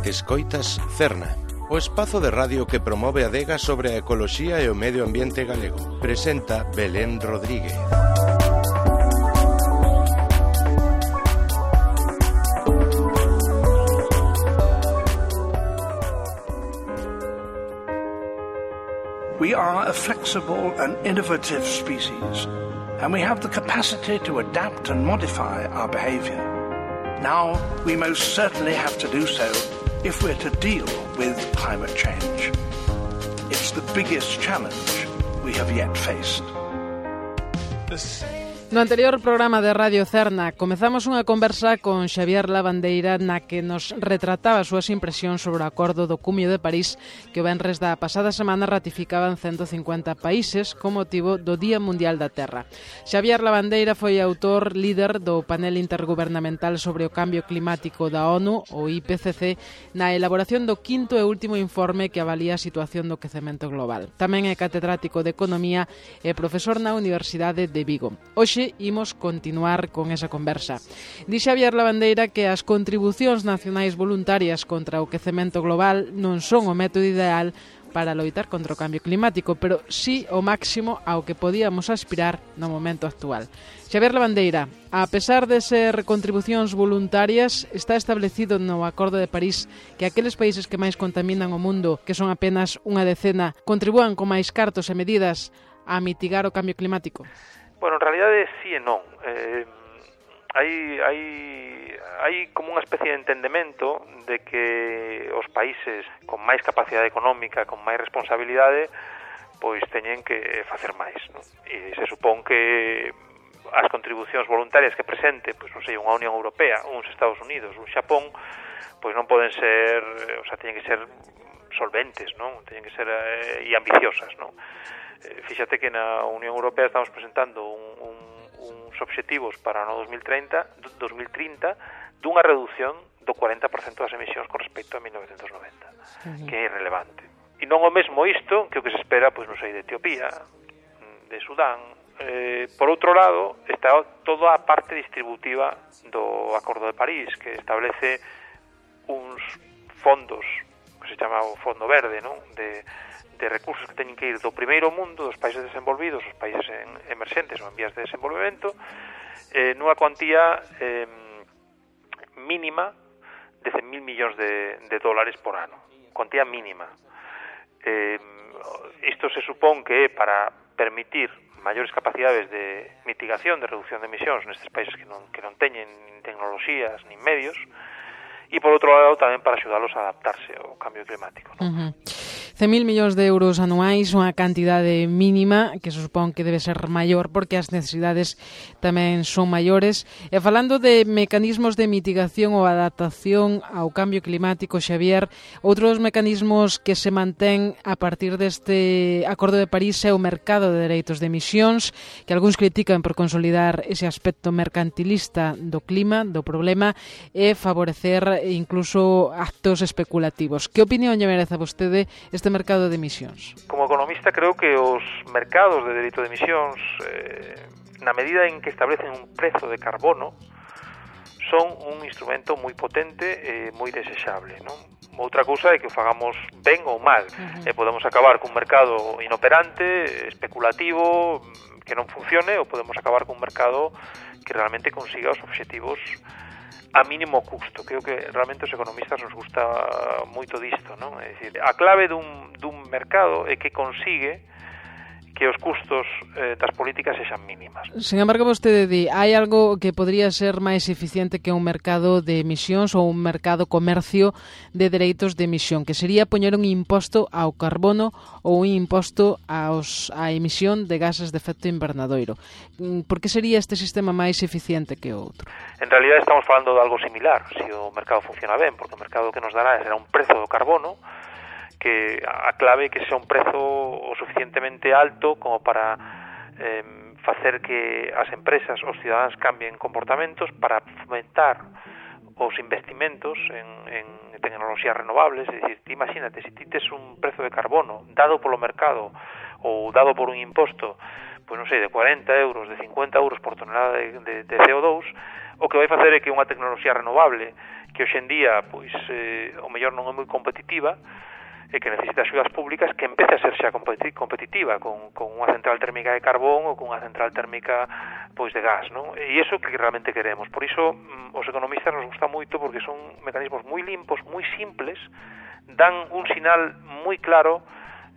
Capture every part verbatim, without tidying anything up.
Escoitas Cerna, o espazo de radio que promove a adega sobre a ecoloxía e o medio ambiente galego. Presenta Belén Rodríguez. We are a flexible and innovative species, and we have the capacity to adapt and modify our behavior. Now, we most certainly have to do so if we're to deal with climate change. It's the biggest challenge we have yet faced. No anterior programa de Radio Cerna comezamos unha conversa con Xavier Lavandeira na que nos retrataba as súas impresións sobre o Acordo do Cumio de París que o venres da pasada semana ratificaban ciento cincuenta países con motivo do Día Mundial da Terra. Xavier Lavandeira foi autor líder do panel intergubernamental sobre o cambio climático da ONU, o I P C C, na elaboración do quinto e último informe que avalía a situación do quecemento global. Tamén é catedrático de Economía e profesor na Universidade de Vigo. Hoxe imos continuar con esa conversa. Di Xavier Lavandeira que as contribucións nacionais voluntarias contra o quecemento global non son o método ideal para loitar contra o cambio climático, pero sí o máximo ao que podíamos aspirar no momento actual. Xavier Lavandeira, a pesar de ser contribucións voluntarias, está establecido no Acordo de París que aqueles países que máis contaminan o mundo, que son apenas unha decena, contribúan con máis cartos e medidas a mitigar o cambio climático? Bueno, en realidade sí e non. Eh, hai, hai, hai como unha especie de entendemento de que os países con máis capacidade económica, con máis responsabilidade, pois teñen que facer máis, non? E se supón que as contribucións voluntarias que presente, pois non sei, unha Unión Europea, uns Estados Unidos, un Xapón, pois non poden ser, o sea, teñen que ser solventes, non? Teñen que ser eh, e ambiciosas, non? Fíxate que na Unión Europea estamos presentando un, un, uns obxectivos para o dos mil trinta dunha reducción do cuarenta por cento das emisións con respecto a mil novecentos noventa, uh-huh. que é irrelevante. E non o mesmo isto que o que se espera, pois non sei, de Etiopía, de Sudán. Eh, por outro lado, está toda a parte distributiva do Acordo de París, que establece uns fondos, que se chama o Fondo Verde, non? De de recursos que teñen que ir do primeiro mundo, dos países desenvolvidos, os países en emerxentes ou en vías de desenvolvemento, eh, nunha cuantía eh, mínima de cen mil millóns de, de dólares por ano. Cuantía mínima. Eh, isto se supón que é para permitir maiores capacidades de mitigación, de reducción de emisións nestes países que non, que non teñen nin tecnoloxías, nin medios, e por outro lado tamén para axudalos a adaptarse ao cambio climático, non? Uh-huh. cen mil millóns de euros anuais, unha cantidade mínima que se supón que debe ser maior porque as necesidades tamén son maiores. E falando de mecanismos de mitigación ou adaptación ao cambio climático, Xavier, outros mecanismos que se mantén a partir deste Acordo de París é o mercado de dereitos de emisións, que algúns critican por consolidar ese aspecto mercantilista do clima, do problema, e favorecer incluso actos especulativos. Que opinión lle merece a vostede este mercado de emisións? Como economista creo que os mercados de dereito de emisións, eh, na medida en que establecen un prezo de carbono, son un instrumento moi potente e moi desexable, non? Outra cousa é que o fagamos ben ou mal, uh-huh. e podemos acabar cun mercado inoperante, especulativo, que non funcione, ou podemos acabar cun mercado que realmente consiga os obxectivos a mínimo custo. Creo que realmente os economistas nos gusta moito disto, non? É dicir, a clave dun, dun mercado é que consigue que os custos eh, das políticas sexan mínimas. Sen embargo, vostede di, hai algo que podría ser máis eficiente que un mercado de emisións ou un mercado comercio de dereitos de emisión, que sería poñer un imposto ao carbono ou un imposto aos, á emisión de gases de efecto invernadoiro. Por que sería este sistema máis eficiente que outro? En realidad estamos falando de algo similar, se o mercado funciona ben, porque o mercado que nos dará será un prezo do carbono, que a clave é que sea un prezo o suficientemente alto como para eh, facer que as empresas, os cidadáns cambien comportamentos para fomentar os investimentos en, en tecnoloxías renovables. É dicir, ti imagínate, se ti tes un prezo de carbono dado polo mercado ou dado por un imposto, pois non sei, de cuarenta euros, de cincuenta euros por tonelada de, de, de C O dos, o que vai facer é que unha tecnoloxía renovable que hoxe en día pois eh, o mellor non é moi competitiva e que necesita axudas públicas, que empece a ser xa competitiva con, con unha central térmica de carbón ou con unha central térmica pois de gas, non? E iso que realmente queremos. Por iso os economistas nos gusta moito porque son mecanismos moi limpos, moi simples, dan un sinal moi claro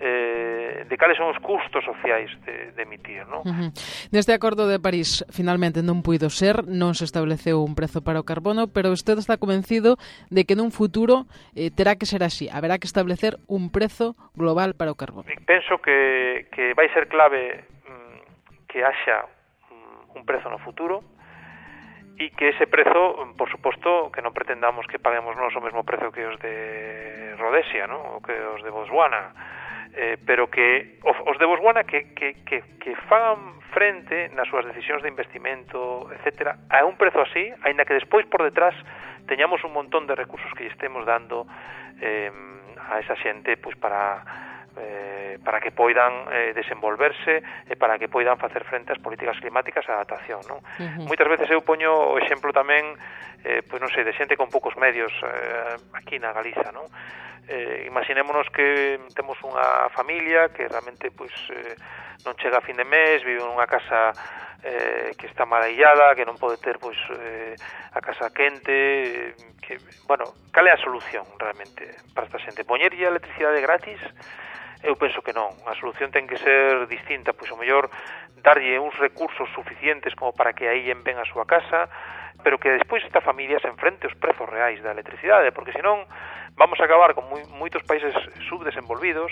eh, de cales son os custos sociais de, de emitir, non? Uh-huh. Neste acordo de París finalmente non puido ser, non se estableceu un prezo para o carbono, pero usted está convencido de que nun futuro eh, terá que ser así, haberá que establecer un prezo global para o carbono. Penso que, que vai ser clave mm, que haxa mm, un prezo no futuro, e que ese prezo, por suposto, que non pretendamos que paguemos nós o mesmo prezo que os de Rhodesia, non? Ou que os de Botswana, eh, pero que os de Botswana que, que, que, que fagan frente nas súas decisións de investimento, etcétera, a un prezo así, aínda que despois por detrás teñamos un montón de recursos que lle estemos dando eh, a esa xente pois para Eh, para que poidan eh, desenvolverse e para que poidan facer frente ás políticas climáticas e a adaptación, non? Uh-huh. Moitas veces eu poño o exemplo tamén eh, pois non sei, de xente con poucos medios eh, aquí na Galiza, non? Eh, imaginémonos que temos unha familia que realmente pois eh, non chega a fin de mes, vive nunha casa eh, que está malaillada, que non pode ter pois eh, a casa quente, eh, que, bueno, cal é a solución realmente para esta xente? Poñerlle a electricidade gratis? Eu penso que non. A solución ten que ser distinta, pois o mellor darlle uns recursos suficientes como para que aí ben a súa casa, pero que despois esta familia se enfrente aos prezos reais da electricidade, porque senón vamos a acabar con moi, moitos países subdesenvolvidos,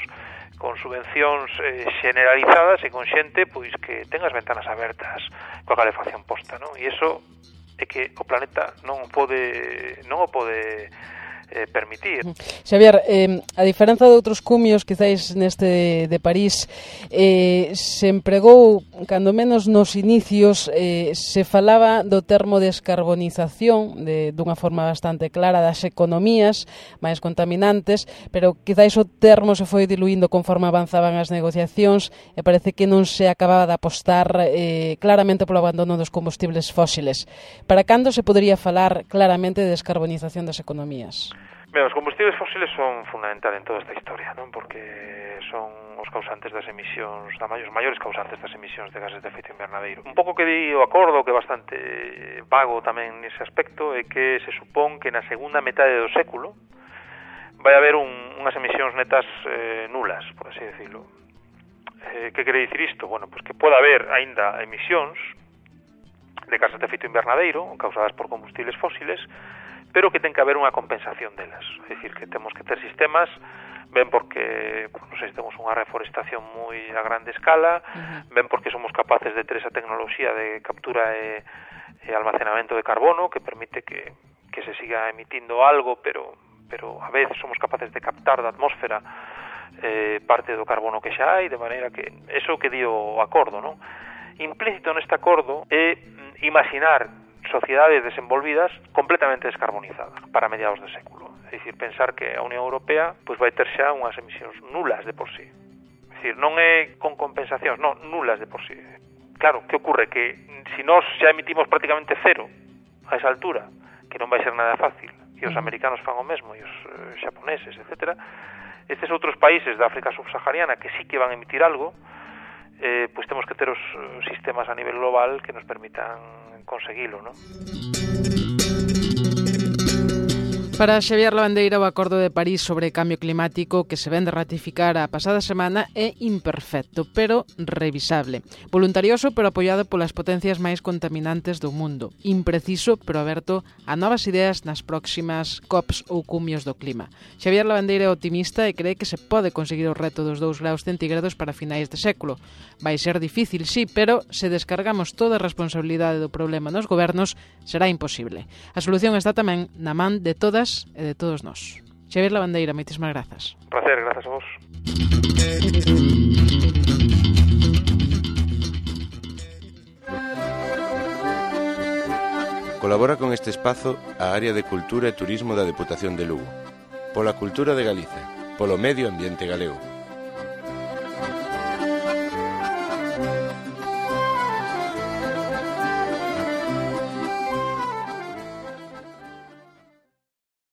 con subvencións eh, generalizadas e con xente pois que ten as ventanas abertas coa calefacción posta, non? E iso é que o planeta non o pode non o pode Eh, permitir. Xavier, eh, a diferenza de outros cumios quizáis neste de París, eh, se empregou, cando menos nos inicios, eh, se falaba do termo descarbonización de, dunha forma bastante clara das economías máis contaminantes, pero quizáis o termo se foi diluindo conforme avanzaban as negociacións e parece que non se acababa de apostar eh, claramente polo abandono dos combustibles fósiles. Para cando se podería falar claramente de descarbonización das economías? Ben, os combustibles fósiles son fundamentales en toda esta historia, non? Porque son os causantes das emisións, os maiores causantes das emisións de gases de efecto invernadeiro. Un pouco que di o acordo, que é bastante vago tamén nese aspecto, é que se supón que na segunda metade do século vai haber un, unhas emisións netas eh, nulas, por así decirlo. Eh, que quere dicir isto? Bueno, pues que pode haber aínda emisións de gases de efecto invernadeiro causadas por combustibles fósiles, pero que ten que haber unha compensación delas. É dicir, que temos que ter sistemas, ben porque, non sei, temos unha reforestación moi a grande escala, uh-huh. ben porque somos capaces de ter esa tecnoloxía de captura e, e almacenamento de carbono que permite que, que se siga emitindo algo, pero, pero a vez somos capaces de captar da atmósfera eh, parte do carbono que xa hai, de maneira que eso que di o acordo, non? Implícito neste acordo é imaginar sociedades desenvolvidas completamente descarbonizadas para mediados do século. É dicir, pensar que a Unión Europea pois vai ter xa unhas emisións nulas de por sí. É dicir, non é con compensacións, non, nulas de por sí. Claro, que ocurre? Que se nós xa emitimos prácticamente cero a esa altura, que non vai ser nada fácil, e os americanos fan o mesmo, e os eh, xaponeses, etcétera, estes outros países da África subsahariana que sí que van a emitir algo, eh, pois temos que ter os sistemas a nivel global que nos permitan conseguilo, non? Para Xavier Lavandeira, o Acordo de París sobre cambio climático que se ven de ratificar a pasada semana é imperfecto, pero revisable. Voluntarioso, pero apoiado polas potencias máis contaminantes do mundo. Impreciso, pero aberto a novas ideas nas próximas COPs ou cumios do clima. Xavier Lavandeira é optimista e cree que se pode conseguir o reto dos dous graus centígrados para finais de século. Vai ser difícil, sí, pero se descargamos toda a responsabilidade do problema nos gobernos, será imposible. A solución está tamén na man de todas e de todos nós. Xavier Lavandeira, moitísimas grazas. Un placer, grazas a vos. Colabora con este espazo a Área de Cultura e Turismo da Deputación de Lugo. Pola cultura de Galicia, polo medio ambiente galego.